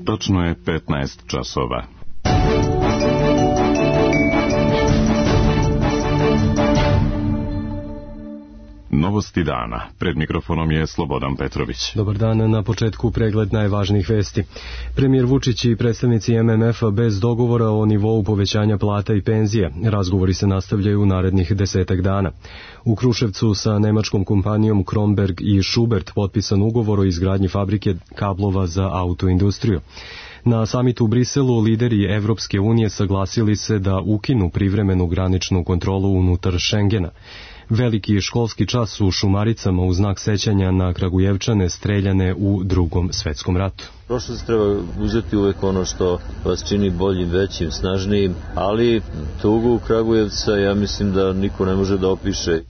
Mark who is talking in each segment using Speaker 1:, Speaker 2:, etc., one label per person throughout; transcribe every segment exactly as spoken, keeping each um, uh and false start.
Speaker 1: Točno je petnaest časova. Novosti dana. Pred mikrofonom je Slobodan Petrović.
Speaker 2: Dobar dan, na početku pregled najvažnijih vesti. Premijer Vučić i predstavnici M M F-a bez dogovora o nivou povećanja plata i penzija. Razgovori se nastavljaju u narednih desetak dana. U Kruševcu sa nemačkom kompanijom Kromberg i Schubert potpisan ugovor o izgradnji fabrike kablova za autoindustriju. Na samitu u Briselu lideri Evropske unije saglasili se da ukinu privremenu graničnu kontrolu unutar Šengena. Veliki školski čas u Šumaricama u znak sećanja na Kragujevčane streljane u Drugom svetskom ratu.
Speaker 3: Prošlost treba uzeti uvek ono što vas čini boljim, većim, snažnijim, ali tugu Kragujevca ja mislim da niko ne može da opiše.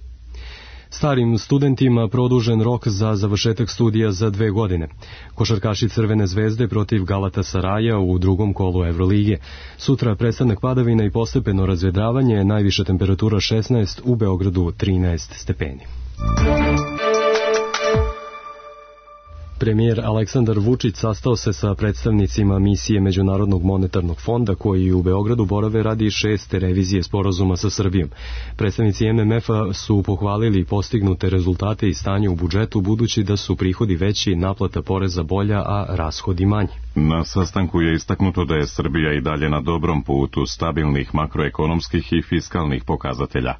Speaker 2: Starim studentima produžen rok za završetak studija za dve godine. Košarkaši Crvene zvezde protiv Galatasaraja u drugom kolu Evrolige. Sutra prestanak padavina i postepeno razvedravanje, najviša temperatura šesnaest, u Beogradu trinaest stepeni. Premijer Aleksandar Vučić sastao se sa predstavnicima misije Međunarodnog monetarnog fonda koji u Beogradu borave radi šeste revizije sporazuma sa Srbijom. Predstavnici M M F-a su pohvalili postignute rezultate i stanje u budžetu budući da su prihodi veći, naplata poreza bolja, a rashodi manji.
Speaker 1: Na sastanku je istaknuto da je Srbija i dalje na dobrom putu stabilnih makroekonomskih i fiskalnih pokazatelja.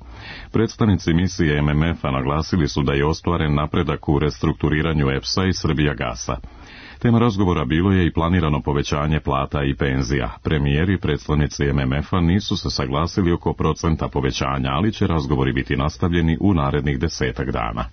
Speaker 1: Predstavnici misije M M F-a naglasili su da je ostvaren napredak u restrukturiranju E P S-a i Srbija gasa. Tema razgovora bilo je i planirano povećanje plata i penzija. Premijeri i predstavnici M M F-a nisu se saglasili oko procenta povećanja, ali će razgovori biti nastavljeni u narednih desetak dana.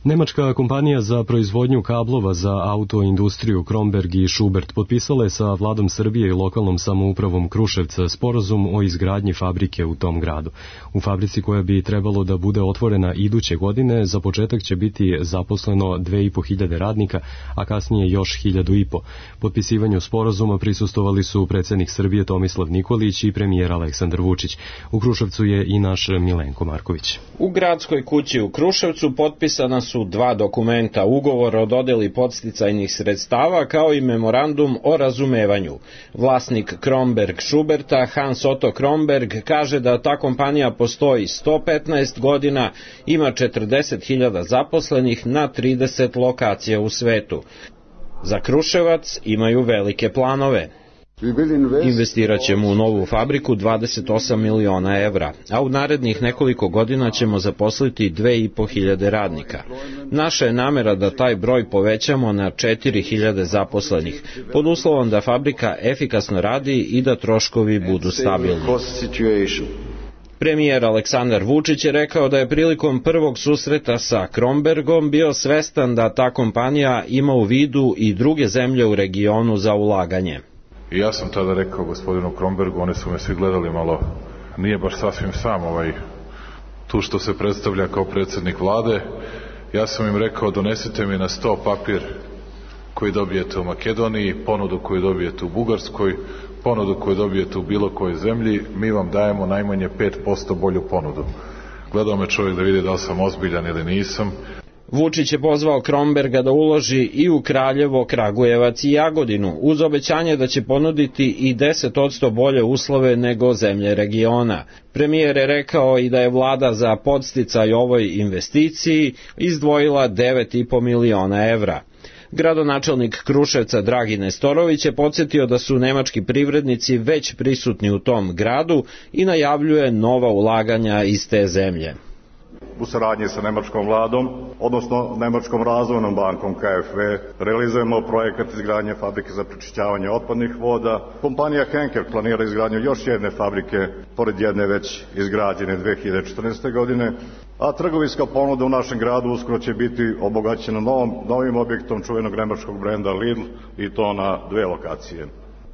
Speaker 2: Nemačka kompanija za proizvodnju kablova za autoindustriju Kromberg i Schubert potpisala je sa vladom Srbije i lokalnom samoupravom Kruševca sporazum o izgradnji fabrike u tom gradu. U fabrici koja bi trebalo da bude otvorena iduće godine, za početak će biti zaposleno dve i po hiljade radnika, a kasnije još hiljadu i po. Potpisivanju sporazuma prisustvovali su predsjednik Srbije Tomislav Nikolić i premijer Aleksandar Vučić. U Kruševcu je i naš Milenko Marković.
Speaker 4: U gradskoj kući u Kruševcu potpisana su dva dokumenta, ugovor o dodeli podsticajnih sredstava kao i memorandum o razumevanju. Vlasnik Kromberg Schuberta, Hans Otto Kromberg, kaže da ta kompanija postoji sto petnaest godina, ima četrdeset hiljada zaposlenih na trideset lokacija u svetu. Za Kruševac imaju velike planove. Investirat ćemo u novu fabriku dvadeset osam miliona evra, a u narednih nekoliko godina ćemo zaposliti dve i po hiljade radnika. Naša je namera da taj broj povećamo na četiri hiljade zaposlenih, pod uslovom da fabrika efikasno radi i da troškovi budu stabilni. Premijer Aleksandar Vučić je rekao da je prilikom prvog susreta sa Krombergom bio svestan da ta kompanija ima u vidu i druge zemlje u regionu za ulaganje.
Speaker 5: I ja sam tada rekao gospodinu Krombergu, oni su me svi gledali malo, nije baš sasvim sam ovaj, tu što se predstavlja kao predsjednik vlade. Ja sam im rekao, donesite mi na sto papir koji dobijete u Makedoniji, ponudu koju dobijete u Bugarskoj, ponudu koju dobijete u bilo kojoj zemlji, mi vam dajemo najmanje pet posto bolju ponudu. Gledao me čovjek da vidi da li sam ozbiljan ili nisam.
Speaker 4: Vučić je pozvao Kromberga da uloži i u Kraljevo, Kragujevac i Jagodinu, uz obećanje da će ponuditi i deset posto bolje uslove nego zemlje regiona. Premijer je rekao i da je vlada za podsticaj ovoj investiciji izdvojila devet i po miliona evra. Gradonačelnik Kruševca Dragi Nestorović je podsjetio da su nemački privrednici već prisutni u tom gradu i najavljuje nova ulaganja iz te zemlje.
Speaker 6: U saradnji sa nemačkom vladom, odnosno Nemačkom razvojnom bankom K F W, realizujemo projekat izgradnje fabrike za prečišćavanje otpadnih voda. Kompanija Henkel planira izgradnju još jedne fabrike, pored jedne već izgrađene dve hiljade četrnaeste. godine, a trgovinska ponuda u našem gradu uskoro će biti obogaćena novom, novim objektom čuvenog nemačkog brenda Lidl, i to na dve lokacije.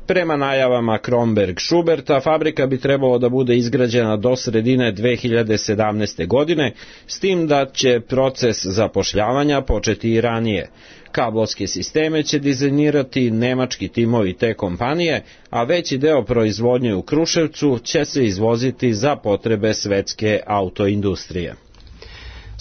Speaker 4: Prema najavama Kromberg Schuberta, fabrika bi trebalo da bude izgrađena do sredine dve hiljade sedamnaeste. godine, s tim da će proces zapošljavanja početi i ranije. Kablovske sisteme će dizajnirati nemački timovi te kompanije, a veći deo proizvodnje u Kruševcu će se izvoziti za potrebe svetske autoindustrije.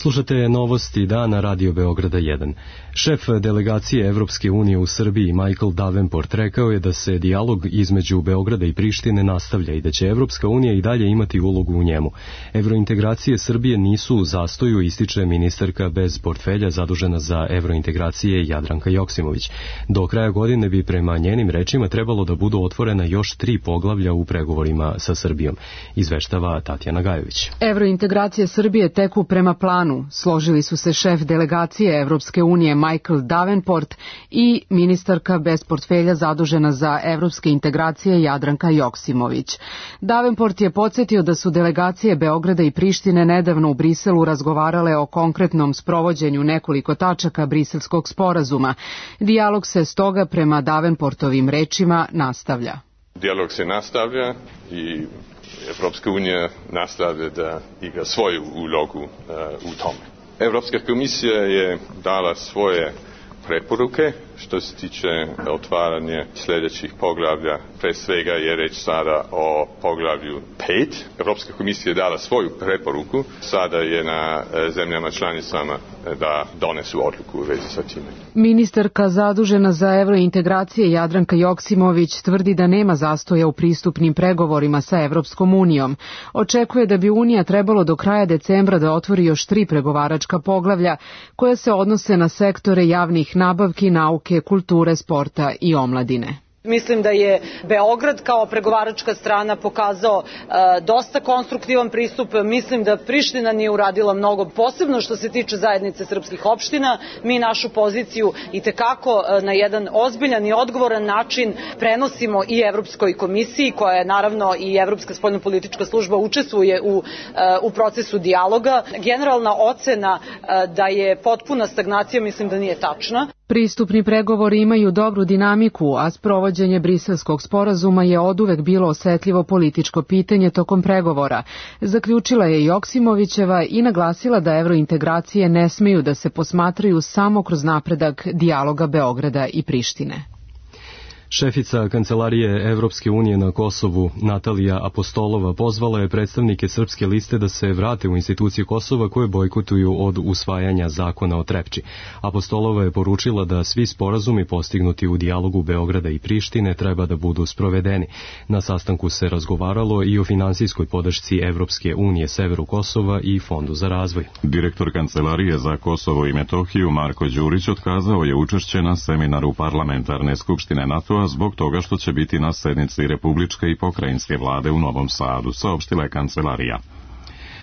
Speaker 2: Slušate novosti dana Radio Beograda jedan. Šef delegacije Evropske unije u Srbiji Michael Davenport rekao je da se dijalog između Beograda i Prištine nastavlja i da će Evropska unija i dalje imati ulogu u njemu. Evrointegracije Srbije nisu u zastoju, ističe ministarka bez portfelja zadužena za evrointegracije Jadranka Joksimović. Do kraja godine bi prema njenim rečima trebalo da budu otvorena još tri poglavlja u pregovorima sa Srbijom, izveštava Tatjana Gajović.
Speaker 7: Evrointegracije Srbije teku prema planu. Složili su se šef delegacije Evropske unije Michael Davenport i ministarka bez portfelja zadužena za evropske integracije Jadranka Joksimović. Davenport je podsjetio da su delegacije Beograda i Prištine nedavno u Briselu razgovarale o konkretnom sprovođenju nekoliko tačaka Briselskog sporazuma. Dijalog se stoga prema Davenportovim rečima nastavlja.
Speaker 8: Dijalog se nastavlja i Evropska unija nastavlja da igra svoju ulogu uh, u tome. Evropska komisija je dala svoje preporuke što se tiče otvaranja sljedećih poglavlja. Pre svega je reč sada o poglavlju pet. Evropska komisija je dala svoju preporuku. Sada je na zemljama članicama da donesu odluku u vezi sa time.
Speaker 7: Ministarka zadužena za evrointegracije Jadranka Joksimović tvrdi da nema zastoja u pristupnim pregovorima sa Evropskom unijom. Očekuje da bi Unija trebalo do kraja decembra da otvori još tri pregovaračka poglavlja koja se odnose na sektore javnih nabavki, nauke, kulture, sporta i omladine.
Speaker 9: Mislim da je Beograd kao pregovaračka strana pokazao e, dosta konstruktivan pristup. Mislim da Priština nije uradila mnogo, posebno što se tiče zajednice srpskih opština. Mi našu poziciju itekako e, na jedan ozbiljan i odgovoran način prenosimo i Evropskoj komisiji, koja je naravno i Evropska spoljnopolitička služba učestvuje u, e, u procesu dijaloga. Generalna ocena e, da je potpuna stagnacija mislim da nije tačna.
Speaker 7: Pristupni pregovori imaju dobru dinamiku, a sprovođenje Briselskog sporazuma je oduvek bilo osetljivo političko pitanje tokom pregovora. Zaključila je Joksimovićeva i naglasila da evrointegracije ne smeju da se posmatraju samo kroz napredak dijaloga Beograda i Prištine.
Speaker 2: Šefica Kancelarije Evropske unije na Kosovu, Natalija Apostolova, pozvala je predstavnike Srpske liste da se vrate u institucije Kosova koje bojkotuju od usvajanja zakona o Trepči. Apostolova je poručila da svi sporazumi postignuti u dijalogu Beograda i Prištine treba da budu sprovedeni. Na sastanku se razgovaralo i o finansijskoj podršci Evropske unije Severu Kosova i Fondu za razvoj.
Speaker 1: Direktor Kancelarije za Kosovo i Metohiju Marko Đurić otkazao je učešće na seminaru Parlamentarne skupštine NATO zbog toga što će biti na sednici Republičke i pokrajinske vlade u Novom Sadu, saopštila je kancelarija.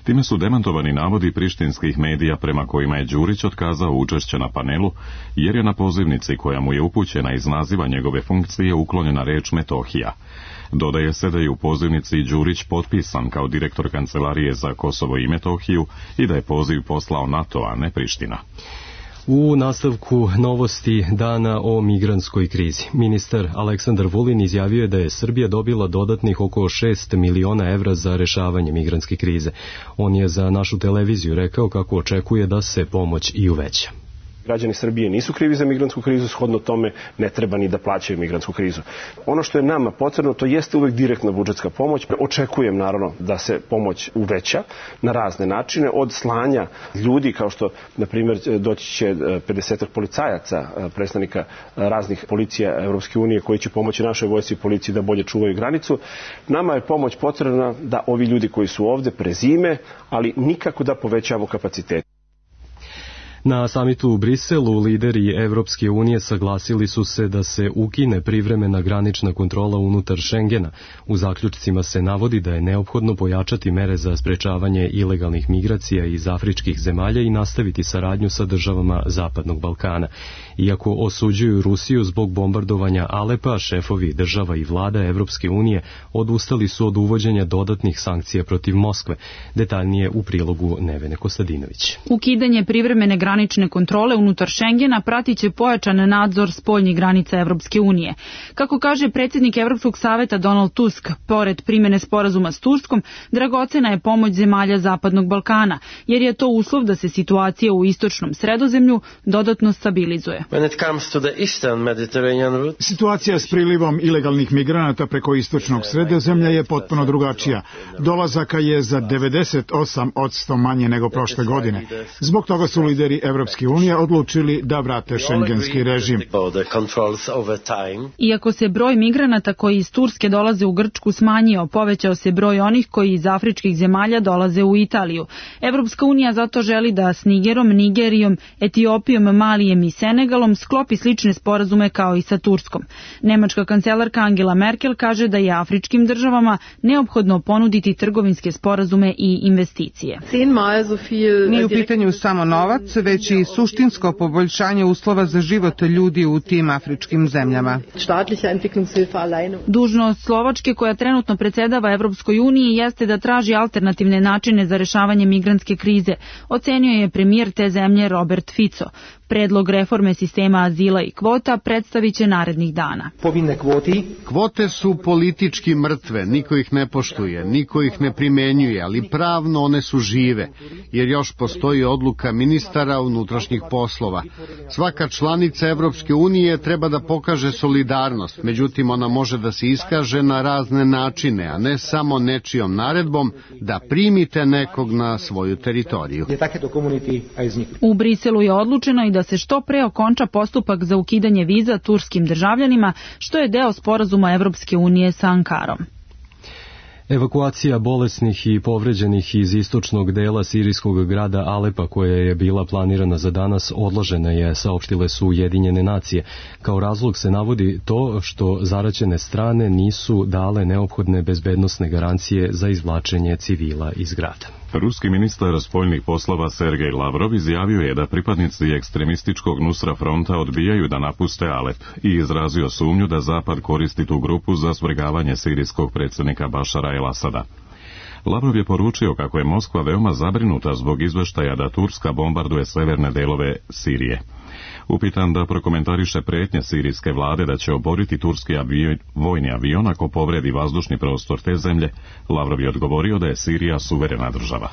Speaker 1: Time su demantovani navodi prištinskih medija prema kojima je Đurić otkazao učešće na panelu, jer je na pozivnici koja mu je upućena iz naziva njegove funkcije uklonjena reč Metohija. Dodaje se da je u pozivnici Đurić potpisan kao direktor Kancelarije za Kosovo i Metohiju i da je poziv poslao NATO, a ne Priština.
Speaker 2: U nastavku novosti dana o migrantskoj krizi. Ministar Aleksandar Vulin izjavio je da je Srbija dobila dodatnih oko šest miliona evra za rešavanje migrantske krize. On je za našu televiziju rekao kako očekuje da se pomoć i uveća.
Speaker 10: Građani Srbije nisu krivi za migrantsku krizu, shodno tome ne treba ni da plaćaju migrantsku krizu. Ono što je nama potrebno, to jeste uvek direktna budžetska pomoć. Očekujem naravno da se pomoć uveća na razne načine, od slanja ljudi, kao što na primjer doći će pedesetak policajaca, predstavnika raznih policija Evropske unije koji će pomoći našoj vojsci i policiji da bolje čuvaju granicu. Nama je pomoć potrebna da ovi ljudi koji su ovde prezime, ali nikako da povećamo kapacitet.
Speaker 2: Na samitu u Briselu lideri Evropske unije saglasili su se da se ukine privremena granična kontrola unutar Šengena. U zaključcima se navodi da je neophodno pojačati mere za sprečavanje ilegalnih migracija iz afričkih zemalja i nastaviti saradnju sa državama Zapadnog Balkana. Iako osuđuju Rusiju zbog bombardovanja Alepa, šefovi država i vlada Evropske unije odustali su od uvođenja dodatnih sankcija protiv Moskve. Detaljnije u prilogu Nevene Kostadinović.
Speaker 11: Ukidanje privremene granične granične kontrole unutar Šengena pratiće pojačan nadzor spoljnih granica Evropske unije. Kako kaže predsjednik Evropskog saveta Donald Tusk, pored primjene sporazuma s Turskom, dragocena je pomoć zemalja Zapadnog Balkana, jer je to uslov da se situacija u istočnom Sredozemlju dodatno stabilizuje.
Speaker 12: Situacija s prilivom ilegalnih migranata preko istočnog Sredozemlja je potpuno drugačija. Dolazaka je za devedeset osam posto manje nego prošle godine. Zbog toga su lideri Evropske unije odlučili da vrate šengenski režim.
Speaker 11: Iako se broj migranata koji iz Turske dolaze u Grčku smanjio, povećao se broj onih koji iz afričkih zemalja dolaze u Italiju. Evropska unija zato želi da s Nigerom, Nigerijom, Etiopijom, Malijem i Senegalom sklopi slične sporazume kao i sa Turskom. Nemačka kancelarka Angela Merkel kaže da je afričkim državama neophodno ponuditi trgovinske sporazume i investicije.
Speaker 13: Nije u pitanju samo novac, već i suštinsko poboljšanje uslova za život ljudi u tim afričkim zemljama.
Speaker 11: Dužnost Slovačke, koja trenutno predsjedava Evropskoj uniji, jeste da traži alternativne načine za rešavanje migrantske krize, ocenio je premijer te zemlje Robert Fico. Predlog reforme sistema azila i kvota predstavit će narednih dana.
Speaker 14: Kvote su politički mrtve, niko ih ne poštuje, niko ih ne primenjuje, ali pravno one su žive, jer još postoji odluka ministara unutrašnjih poslova. Svaka članica Evropske unije treba da pokaže solidarnost, međutim ona može da se iskaže na razne načine, a ne samo nečijom naredbom da primite nekog na svoju teritoriju.
Speaker 11: U Briselu je odlučeno i da se što pre okonča postupak za ukidanje viza turskim državljanima, što je deo sporazuma Evropske unije sa Ankarom.
Speaker 2: Evakuacija bolesnih i povređenih iz istočnog dela sirijskog grada Alepa, koja je bila planirana za danas, odložena je, saopštile su Ujedinjene nacije. Kao razlog se navodi to što zaraćene strane nisu dale neophodne bezbednosne garancije za izvlačenje civila iz grada.
Speaker 1: Ruski ministar spoljnih poslova Sergej Lavrov izjavio je da pripadnici ekstremističkog Nusra fronta odbijaju da napuste Alep i izrazio sumnju da Zapad koristi tu grupu za svrgavanje sirijskog predsjednika Bašara el-Asada. Lavrov je poručio kako je Moskva veoma zabrinuta zbog izveštaja da Turska bombarduje severne delove Sirije. Upitan da prokomentariše prijetnje sirijske vlade da će oboriti turski avion, vojni avion ako povredi vazdušni prostor te zemlje, Lavrov je odgovorio da je Sirija suverena država.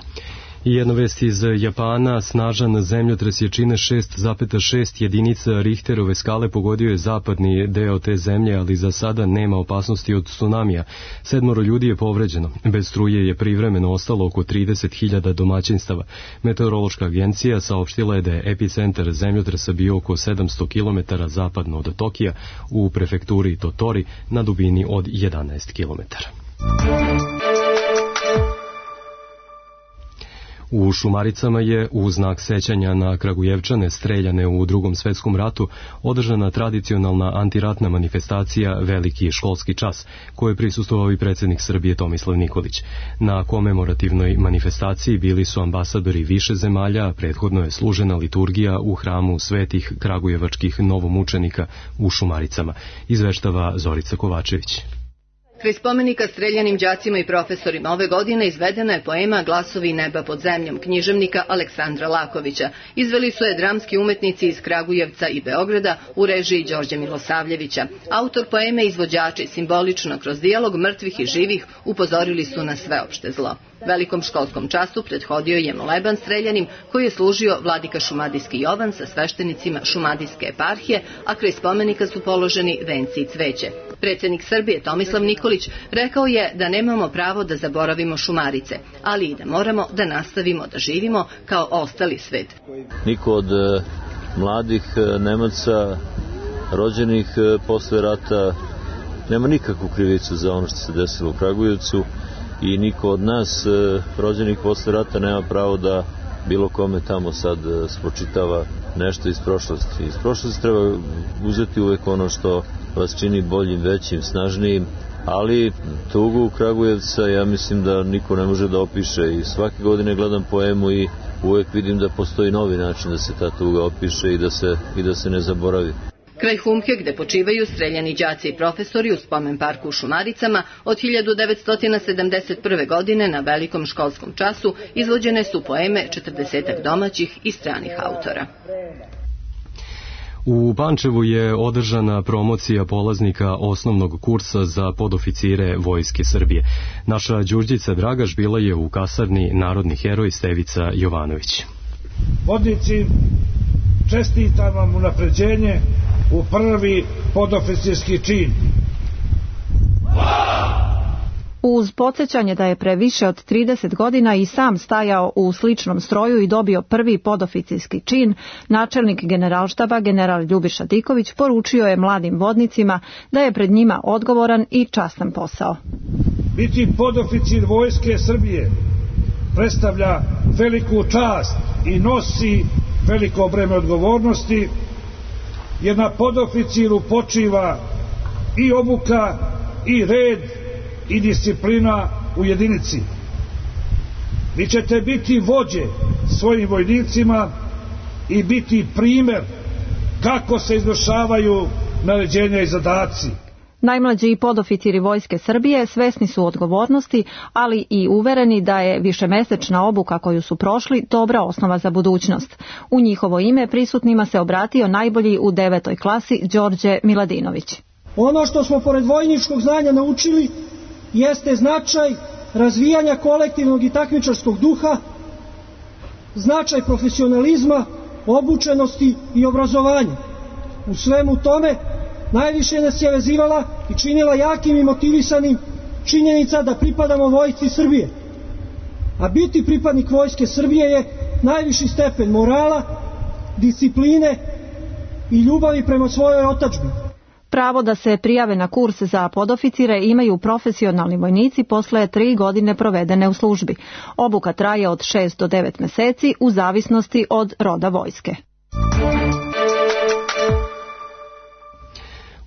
Speaker 2: I jedna vest iz Japana, snažan zemljotres jačine šest zarez šest jedinica Richterove skale pogodio je zapadni deo te zemlje, ali za sada nema opasnosti od tsunamija. Sedmoro ljudi je povređeno. Bez struje je privremeno ostalo oko trideset hiljada domaćinstava. Meteorološka agencija saopštila je da je epicentar zemljotresa bio oko sedamsto kilometara zapadno od Tokija u prefekturi Totori na dubini od jedanaest kilometara. U Šumaricama je u znak sećanja na Kragujevčane streljane u Drugom svetskom ratu održana tradicionalna antiratna manifestacija Veliki školski čas, kojoj je prisustvovao i predsjednik Srbije Tomislav Nikolić. Na komemorativnoj manifestaciji bili su ambasadori više zemalja, a prethodno je služena liturgija u hramu svetih kragujevačkih novomučenika u Šumaricama, izveštava Zorica Kovačević.
Speaker 15: Kraj spomenika streljanim đacima i profesorima ove godine izvedena je poema Glasovi neba pod zemljom književnika Aleksandra Lakovića. Izveli su je dramski umetnici iz Kragujevca i Beograda u režiji Đorđe Milosavljevića. Autor poeme i izvođači simbolično kroz dijalog mrtvih i živih upozorili su na sveopšte zlo. Velikom školskom času prethodio je moleban streljanim koji je služio vladika Šumadijski Jovan sa sveštenicima Šumadijske eparhije, a kraj spomenika su položeni venci i cveće. Predsjednik Srbije Tomislav Nikolić rekao je da nemamo pravo da zaboravimo Šumarice, ali i da moramo da nastavimo da živimo kao ostali svet.
Speaker 3: Niko od mladih Nemaca rođenih posle rata nema nikakvu krivicu za ono što se desilo u Kragujevcu i niko od nas rođenih posle rata nema pravo da bilo kome tamo sad spočitava nešto iz prošlosti. Iz prošlosti treba uzeti uvek ono što vas čini boljim, većim, snažnijim, ali tugu Kragujevca ja mislim da niko ne može da opiše i svake godine gledam poemu i uvek vidim da postoji novi način da se ta tuga opiše i da se, i da se ne zaboravi.
Speaker 15: Kraj Humke, gde počivaju streljani đaci i profesori u spomen parku u Šumaricama, od hiljadu devetsto sedamdeset prve. godine na velikom školskom času izvođene su poeme četrdesetak domaćih i stranih autora.
Speaker 2: U Pančevu je održana promocija polaznika osnovnog kursa za podoficire Vojske Srbije. Naša Đurđica Dragaš bila je u kasarni Narodni heroj Stevica Jovanović.
Speaker 16: Vodnici, čestitam vam unapređenje u prvi podoficirski čin.
Speaker 17: Uz podsjećanje da je pre više od trideset godina i sam stajao u sličnom stroju i dobio prvi podoficirski čin, načelnik generalštaba general Ljubiša Diković poručio je mladim vodnicima da je pred njima odgovoran i častan posao.
Speaker 16: Biti podoficir Vojske Srbije predstavlja veliku čast i nosi veliko breme odgovornosti, jer na podoficiru počiva i obuka i red i disciplina u jedinici. Vi ćete biti vođe svojim vojnicima i biti primer kako se izvršavaju naređenja i zadaci.
Speaker 17: Najmlađi podoficiri Vojske Srbije svesni su odgovornosti, ali i uvereni da je višemesečna obuka koju su prošli dobra osnova za budućnost. U njihovo ime prisutnima se obratio najbolji u devetoj klasi Đorđe Miladinović.
Speaker 18: Ono što smo pored vojničkog znanja naučili jeste značaj razvijanja kolektivnog i takmičarskog duha, značaj profesionalizma, obučenosti i obrazovanja. U svemu tome najviše nas je vezivala i činila jakim i motivisanim činjenica da pripadamo Vojsci Srbije. A biti pripadnik Vojske Srbije je najviši stepen morala, discipline i ljubavi prema svojoj otadžbini.
Speaker 17: Pravo da se prijave na kurs za podoficire imaju profesionalni vojnici posle tri godine provedene u službi. Obuka traje od šest do devet meseci u zavisnosti od roda vojske.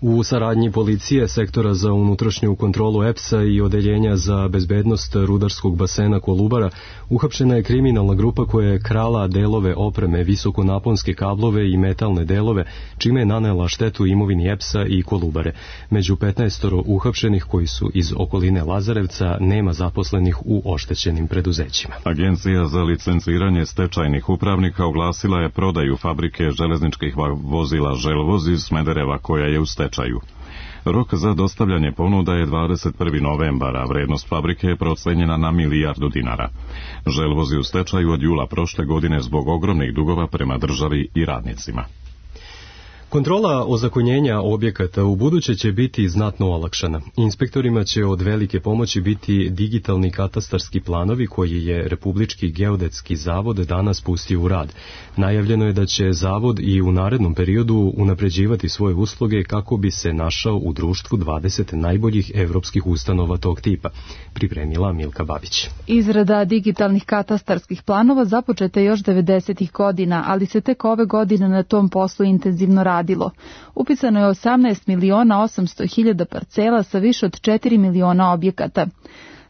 Speaker 2: U saradnji policije, sektora za unutrašnju kontrolu E P S-a i odeljenja za bezbednost rudarskog basena Kolubara uhapšena je kriminalna grupa koja je krala delove opreme, visokonaponske kablove i metalne delove, čime je nanela štetu imovini E P S-a i Kolubare. Među petnaestoro uhapšenih koji su iz okoline Lazarevca nema zaposlenih u oštećenim preduzećima.
Speaker 1: Agencija za licenciranje stečajnih upravnika oglasila je prodaju fabrike železničkih vozila Želvoz iz Smedereva koja je u stečaju. Rok za dostavljanje ponuda je dvadeset prvi novembar, a vrednost fabrike je procenjena na milijardu dinara. Želvoz je u stečaju od jula prošle godine zbog ogromnih dugova prema državi i radnicima.
Speaker 2: Kontrola ozakonjenja objekata u buduće će biti znatno olakšana. Inspektorima će od velike pomoći biti digitalni katastarski planovi koji je Republički geodetski zavod danas pustio u rad. Najavljeno je da će zavod i u narednom periodu unapređivati svoje usluge kako bi se našao u društvu dvadeset najboljih evropskih ustanova tog tipa, pripremila Milka Babić.
Speaker 19: Izrada digitalnih katastarskih planova započeta je još devedesetih godina, ali se tek ove godine na tom poslu intenzivno radi. Upisano je osamnaest miliona osamsto hiljada parcela sa više od četiri miliona objekata.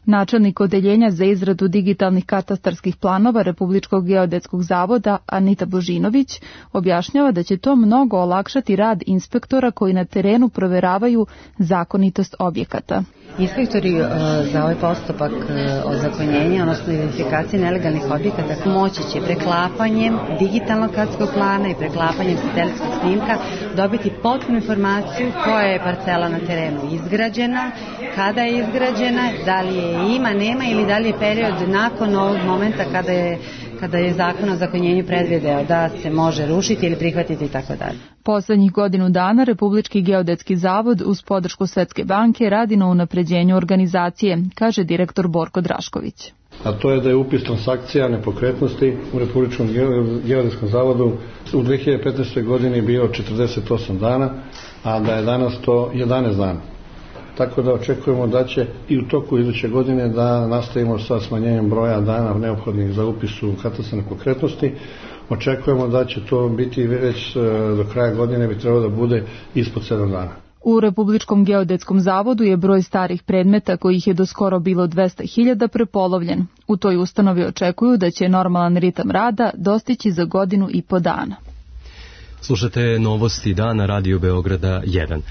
Speaker 19: Načelnik odeljenja za izradu digitalnih katastarskih planova Republičkog geodetskog zavoda Anita Božinović objašnjava da će to mnogo olakšati rad inspektora koji na terenu proveravaju zakonitost objekata.
Speaker 20: Inspektori uh, za ovaj postupak uh, ozakonjenja, odnosno identifikacije nelegalnih objekata, moći će preklapanjem digitalnog katastarskog plana i preklapanjem satelitskog snimka dobiti potpunu informaciju koja je parcela na terenu izgrađena, kada je izgrađena, da li je ima, nema ili da li je period nakon ovog momenta kada je kada je zakon o ozakonjenju predvideo da se može rušiti ili prihvatiti i tako dalje.
Speaker 19: Poslednjih godinu dana Republički geodetski zavod uz podršku Svetske banke radi na unapređenju organizacije, kaže direktor Borko Drašković.
Speaker 21: A to je da je upis transakcija nepokretnosti u Republičkom geodetskom zavodu u dve hiljade petnaestoj godini bio četrdeset osam dana, a da je danas to jedanaest dana. Tako da očekujemo da će i u toku iduće godine da nastavimo sa smanjenjem broja dana neophodnih za upis u katastar nepokretnosti. Očekujemo da će to biti već do kraja godine, bi trebalo da bude ispod sedam dana.
Speaker 19: U Republičkom geodetskom zavodu je broj starih predmeta, kojih je do skoro bilo dvesta hiljada, prepolovljen. U toj ustanovi očekuju da će normalan ritam rada dostići za godinu i po dana.
Speaker 2: Slušate novosti dana Radio Beograda jedan.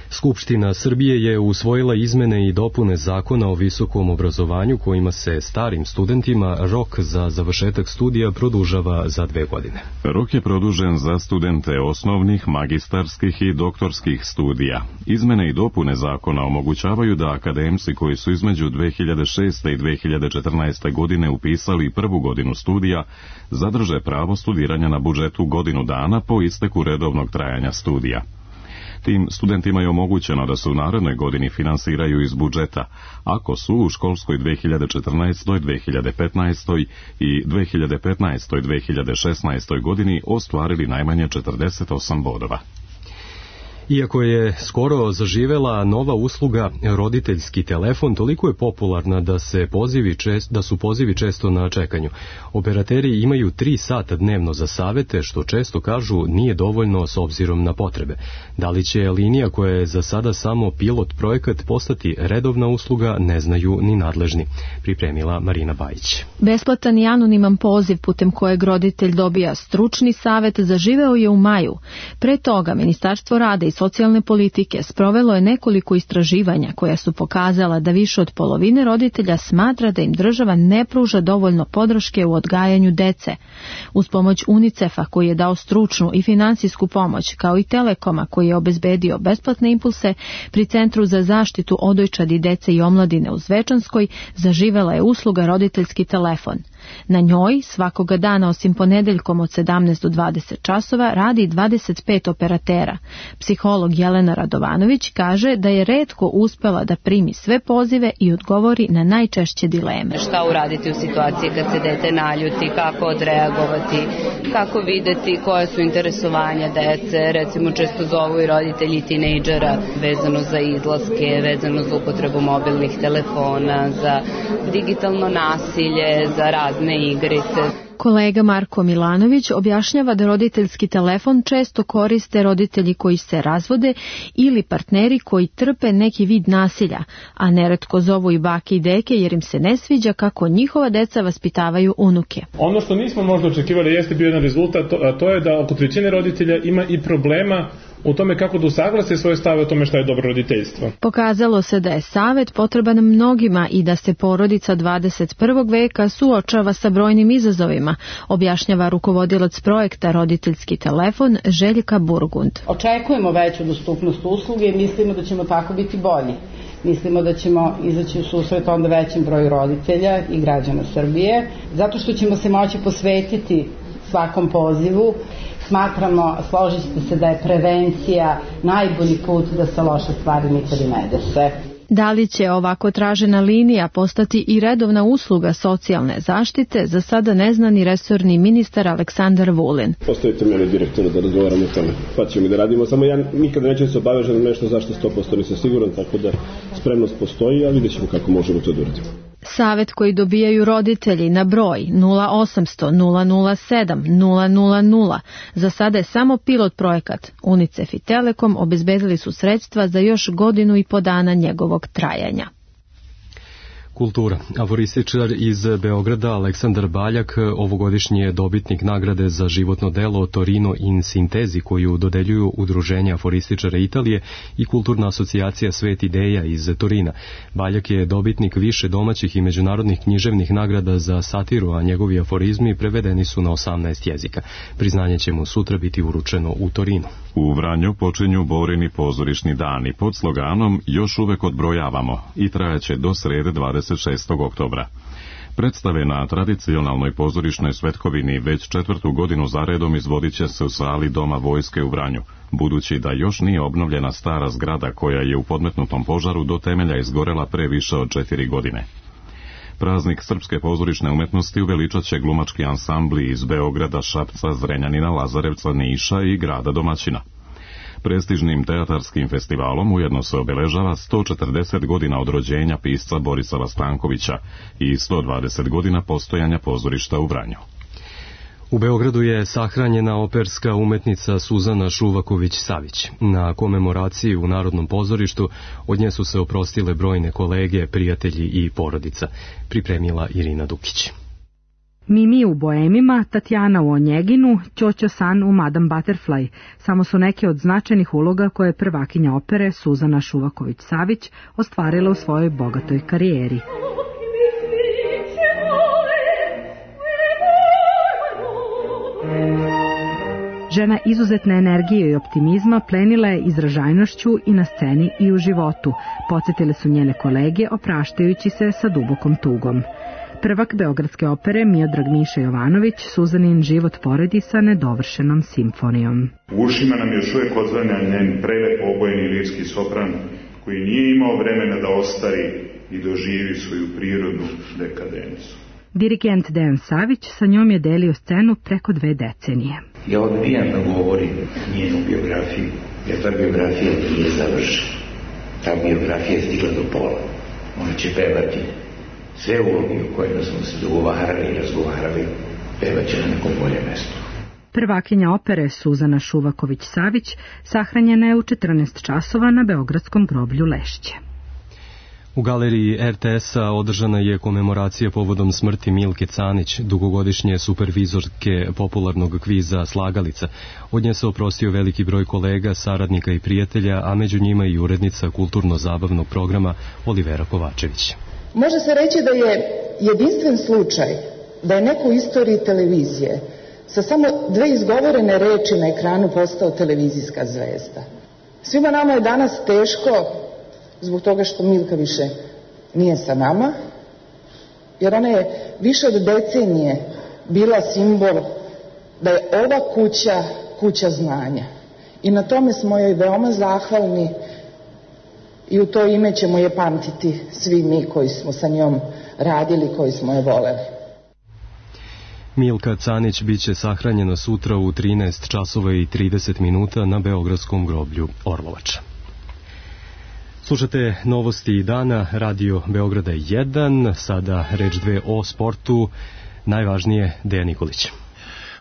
Speaker 2: Skupština Srbije je usvojila izmene i dopune Zakona o visokom obrazovanju kojima se starim studentima rok za završetak studija produžava za dve godine.
Speaker 1: Rok je produžen za studente osnovnih, magistarskih i doktorskih studija. Izmene i dopune zakona omogućavaju da akademci koji su između dve hiljade šeste i dve hiljade četrnaeste. godine upisali prvu godinu studija zadrže pravo studiranja na budžetu godinu dana po isteku redovnog trajanja studija. Tim studentima je omogućeno da se u narednoj godini finansiraju iz budžeta, ako su u školskoj dve hiljade četrnaestoj. dve hiljade petnaestoj. i dve hiljade petnaestoj. dve hiljade šesnaestoj. godini ostvarili najmanje četrdeset osam bodova.
Speaker 2: Iako je skoro zaživela nova usluga roditeljski telefon, toliko je popularna da, se pozivi čest, da su pozivi često na čekanju. Operateri imaju tri sata dnevno za savete, što često kažu nije dovoljno s obzirom na potrebe. Da li će linija koja je za sada samo pilot projekat postati redovna usluga, ne znaju ni nadležni, pripremila Marina Bajić.
Speaker 17: Besplatan i anoniman poziv putem kojeg roditelj dobija stručni savet zaživeo je u maju. Pre toga Ministarstvo rada i socijalne politike sprovelo je nekoliko istraživanja koja su pokazala da više od polovine roditelja smatra da im država ne pruža dovoljno podrške u odgajanju dece. Uz pomoć UNICEF-a koji je dao stručnu i finansijsku pomoć, kao i Telekoma koji je obezbedio besplatne impulse, pri Centru za zaštitu odojčadi dece i omladine u Zvečanskoj zaživela je usluga roditeljski telefon. Na njoj svakoga dana osim ponedeljkom od sedamnaest do dvadeset časova radi dvadeset pet operatera. Psiholog Jelena Radovanović kaže da je retko uspela da primi sve pozive i odgovori na najčešće dileme.
Speaker 5: Šta uraditi u situaciji kad se dete naljuti, kako odreagovati, kako videti koja su interesovanja dece, recimo često zovu i roditelji tinejdžera vezano za izlaske, vezano za upotrebu mobilnih telefona, za digitalno nasilje, za razne igrice.
Speaker 17: Kolega Marko Milanović objašnjava da roditeljski telefon često koriste roditelji koji se razvode ili partneri koji trpe neki vid nasilja, a neretko zovu i bake i deke jer im se ne sviđa kako njihova deca vaspitavaju unuke.
Speaker 22: Ono što nismo možda očekivali jeste bio jedan rezultat, a to je da oko trećine roditelja ima i problema u tome kako da usaglase svoje stave o tome šta je dobro roditeljstvo.
Speaker 17: Pokazalo se da je savet potreban mnogima i da se porodica dvadeset prvog veka suočava sa brojnim izazovima, objašnjava rukovodilac projekta Roditeljski telefon Željka Burgund.
Speaker 23: Očekujemo veću dostupnost usluge i mislimo da ćemo tako biti bolji. Mislimo da ćemo izaći u susret onda većem broju roditelja i građana Srbije, zato što ćemo se moći posvetiti svakom pozivu. Smatramo, složit ćete se, da je prevencija najbolji put da se loše stvari nikad i ne dese.
Speaker 17: Da li će ovako tražena linija postati i redovna usluga socijalne zaštite, za sada ne zna ni resorni ministar Aleksandar Vulin.
Speaker 10: Postavite mene direktora da razgovaramo o tome, pa ćemo i da radimo, samo ja nikada neću se obavežati na nešto zašto sto posto nisam siguran, tako da spremnost postoji, a vidjet ćemo kako možemo to da uradimo.
Speaker 17: Savet koji dobijaju roditelji na broj nula osamsto nula nula sedam nula nula nula za sada je samo pilot projekat. UNICEF i Telekom obezbedili su sredstva za još godinu i po dana njegovog trajanja.
Speaker 2: Kultura. Aforističar iz Beograda Aleksandar Baljak ovogodišnji je dobitnik nagrade za životno delo Torino in Sintezi koju dodeljuju Udruženja aforističara Italije i Kulturna asocijacija Svet ideja iz Torina. Baljak je dobitnik više domaćih i međunarodnih književnih nagrada za satiru, a njegovi aforizmi prevedeni su na osamnaest jezika. Priznanje će mu sutra biti uručeno u Torinu.
Speaker 1: U Vranju počinju Borini pozorišni dani pod sloganom Još uvek odbrojavamo i trajaće do srede dvadeset šestog oktobra. Predstave na tradicionalnoj pozorišnoj svetkovini već četvrtu godinu zaredom izvodit će se u sali Doma vojske u Vranju, budući da još nije obnovljena stara zgrada koja je u podmetnutom požaru do temelja izgorela pre više od četiri godine. Praznik srpske pozorišne umetnosti uveličat će glumački ansambli iz Beograda, Šapca, Zrenjanina, Lazarevca, Niša i grada domaćina. Prestižnim teatarskim festivalom ujedno se obeležava sto četrdeset godina od rođenja pisca Borislava Stankovića i sto dvadeset godina postojanja pozorišta u Vranju.
Speaker 2: U Beogradu je sahranjena operska umetnica Suzana Šuvaković-Savić. Na komemoraciji u Narodnom pozorištu od nje su se oprostile brojne kolege, prijatelji i porodica, pripremila Irina Dukić.
Speaker 4: Mimi u Boemima, Tatjana u Onjeginu, Ćoćo San u Madame Butterfly samo su neke od značajnih uloga koje je prvakinja opere Suzana Šuvaković-Savić ostvarila u svojoj bogatoj karijeri. Žena izuzetne energije i optimizma plenila je izražajnošću i na sceni i u životu. Podsjetile su njene kolege opraštajući se sa dubokom tugom. Prvak Beogradske opere Miodrag Miša Jovanović Suzanin život poredi sa nedovršenom simfonijom.
Speaker 6: U ušima nam još uvijek odzvanja njen prelep obojeni lirski sopran koji nije imao vremena da ostari i doživi svoju prirodnu dekadencu.
Speaker 4: Dirigent Dejan Savić sa njom je delio scenu preko dve decenije.
Speaker 8: Ja odbijam da govorim njenu biografiju, jer ta biografija nije završena. Ta biografija je stigla do pola. Ona će pevati sve uloge u kojima smo se dogovarali i razgovarali, pevaće na nekom boljem mestu.
Speaker 4: Prvakinja opere Suzana Šuvaković-Savić sahranjena je u četrnaest časova na Beogradskom groblju Lešće.
Speaker 2: U galeriji er te es-a održana je komemoracija povodom smrti Milke Canić, dugogodišnje supervizorke popularnog kviza Slagalica. Od nje se oprostio veliki broj kolega, saradnika i prijatelja, a među njima i urednica kulturno-zabavnog programa Olivera Kovačević.
Speaker 24: Može se reći da je jedinstven slučaj da je neko u istoriji televizije sa samo dve izgovorene reči na ekranu postao televizijska zvezda. Svima nama je danas teško zbog toga što Milka više nije sa nama, jer ona je više od decenije bila simbol da je ova kuća kuća znanja. I na tome smo joj veoma zahvalni i u to ime ćemo je pamtiti svi mi koji smo sa njom radili, koji smo je voleli.
Speaker 2: Milka Canić biće sahranjena sutra u trinaest časova i trideset minuta na Beogradskom groblju Orlovača. Slušate novosti dana, Radio Beograda jedan, sada reč dve o sportu, najvažnije Dejan Nikolić.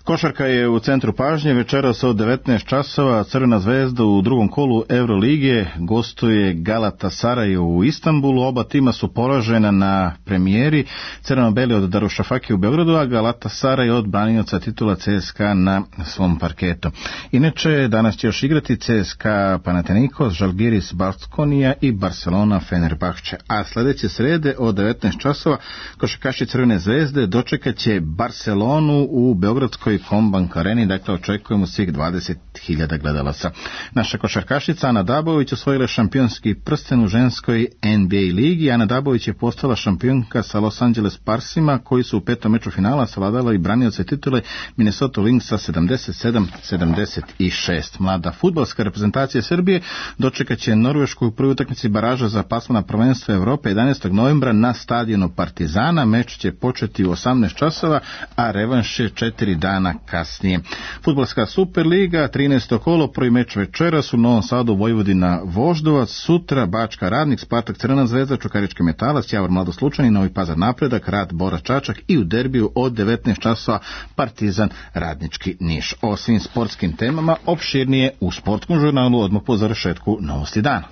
Speaker 25: Košarka je u centru pažnje, večeras od devetnaest časova Crvena zvezda u drugom kolu Evrolige gostuje Galatasaray u Istanbulu. Oba tima su poražena na premijeri, crveno-beli od Darušafake u Beogradu, a Galatasaray od branioca titula C S K A na svom parketu. Inače, danas će još igrati C S K A Panathinaikos, Žalgiris Baskonija i Barcelona Fenerbahče. A sljedeće srede od devetnaest časova košarkaši Crvene zvezde dočekat će Barcelonu u Beogradskoj Kombank Areni, dakle očekujemo svih dvadeset hiljada gledalaca. Naša košarkašica Ana Dabović osvojila šampionski prsten u ženskoj N B A ligi. Ana Dabović je postala šampionka sa Los Angeles Sparsima, koji su u petom meču finala savladala i branioce titule Minnesota Lynxa sedamdeset sedam sedamdeset šest. Mlada fudbalska reprezentacija Srbije dočekat će Norvešku u prvoj utakmici baraža za pasmana prvenstva Evrope jedanaestog novembra na stadionu Partizana. Meč će početi u osamnaest časova, a revanš je četiri dana kasnije. Fudbalska Superliga, trinaesto kolo, prvi meč večeras u Novom Sadu, Vojvodina Voždovac, sutra Bačka Radnik, Spartak Crvena zvezda, Čukarički Metalac, Javor Mladost Lučani, Novi Pazar Napredak, Rad Bora Čačak i u derbiju od devetnaest časova Partizan Radnički Niš. O svim sportskim temama opširnije u sportskom žurnalu odmah po završetku Novosti dana.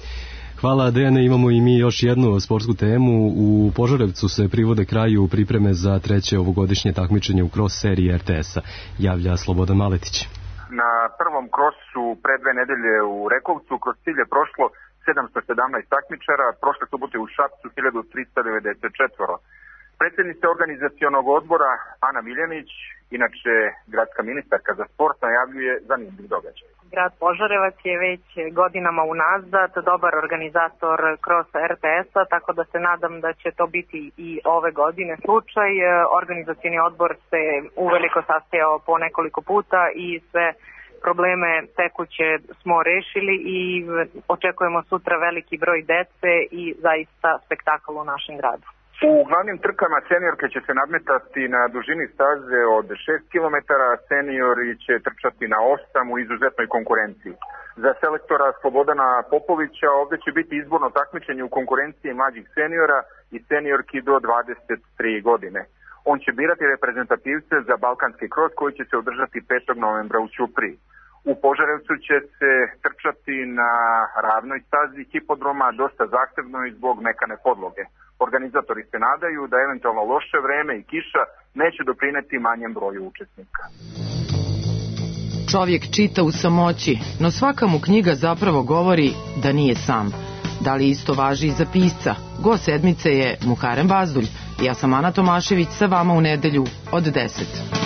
Speaker 2: Hvala Dejane, imamo i mi još jednu sportsku temu. U Požarevcu se privode kraju pripreme za treće ovogodišnje takmičenje u cross seriji er te es-a. Javlja Slobodan Maletić.
Speaker 26: Na prvom krosu pre dve nedelje u Rekovcu kroz cilj je prošlo sedamsto sedamnaest takmičara, prošle subote u Šapcu hiljadu trista devedeset četiri. Predsjednica organizacionog odbora Ana Miljanić, inače gradska ministarka za sport, najavljuje zanimljiv događaj.
Speaker 27: Grad Požarevac je već godinama unazad dobar organizator kroz er te es-a, tako da se nadam da će to biti i ove godine slučaj. Organizacioni odbor se uveliko sastajao po nekoliko puta i sve probleme tekuće smo rešili i očekujemo sutra veliki broj dece i zaista spektakl u našem gradu.
Speaker 26: U glavnim trkama seniorke će se nadmetati na dužini staze od šest kilometara, seniori će trčati na osam u izuzetnoj konkurenciji. Za selektora Slobodana Popovića ovdje će biti izborno takmičenje u konkurenciji mlađih seniora i seniorki do dvadeset tri godine. On će birati reprezentativce za balkanski kros koji će se održati petog novembra u Ćupriji. U Požarevcu će se trčati na ravnoj stazi hipodroma, dosta zahtevno i zbog mekane podloge. Organizatori se nadaju da eventualno loše vreme i kiša neće doprineti manjem broju učesnika.
Speaker 3: Čovjek čita u samoći, no svaka mu knjiga zapravo govori da nije sam. Da li isto važi i za pisca? Gost sedmice je Muharem Bazdulj. Ja sam Ana Tomašević, sa vama u nedelju od deset.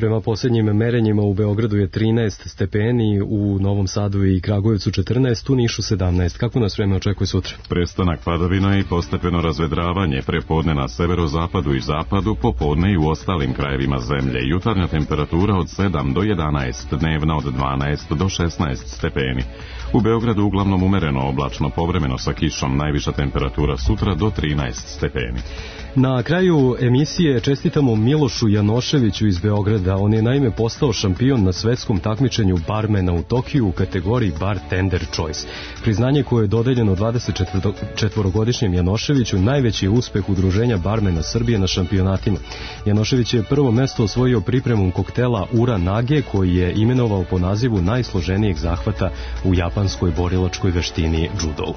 Speaker 2: Prema posljednjim merenjima u Beogradu je trinaest stepeni, u Novom Sadu i Kragujevcu četrnaest, u Nišu sedamnaest. Kako nas vreme očekuje sutra?
Speaker 1: Prestanak padavina i postepeno razvedravanje, prepodne na severozapadu i zapadu, popodne i u ostalim krajevima zemlje. Jutarnja temperatura od sedam do jedanaest, dnevna od dvanaest do šesnaest stepeni. U Beogradu uglavnom umereno oblačno, povremeno sa kišom, najviša temperatura sutra do trinaest stepeni.
Speaker 2: Na kraju emisije čestitamo Milošu Janoševiću iz Beograda. On je naime postao šampion na svetskom takmičenju barmena u Tokiju u kategoriji Bartender Choice. Priznanje koje je dodeljeno dvadesetčetvorogodišnjem Janoševiću najveći je uspeh udruženja barmena Srbije na šampionatima. Janošević je prvo mesto osvojio pripremom koktela Ura Nage, koji je imenovao po nazivu najsloženijeg zahvata u japanskoj borilačkoj veštini judo.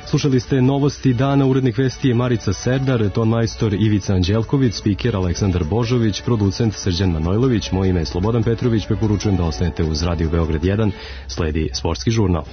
Speaker 2: Slušali ste novosti dana, urednik vesti je Marica Serdar, tonmajstor Ivica Anđelković, spiker Aleksandar Božović, producent Srđan Manojlović, moje ime je Slobodan Petrović, preporučujem da ostanete uz Radio Beograd jedan, sledi sportski žurnal.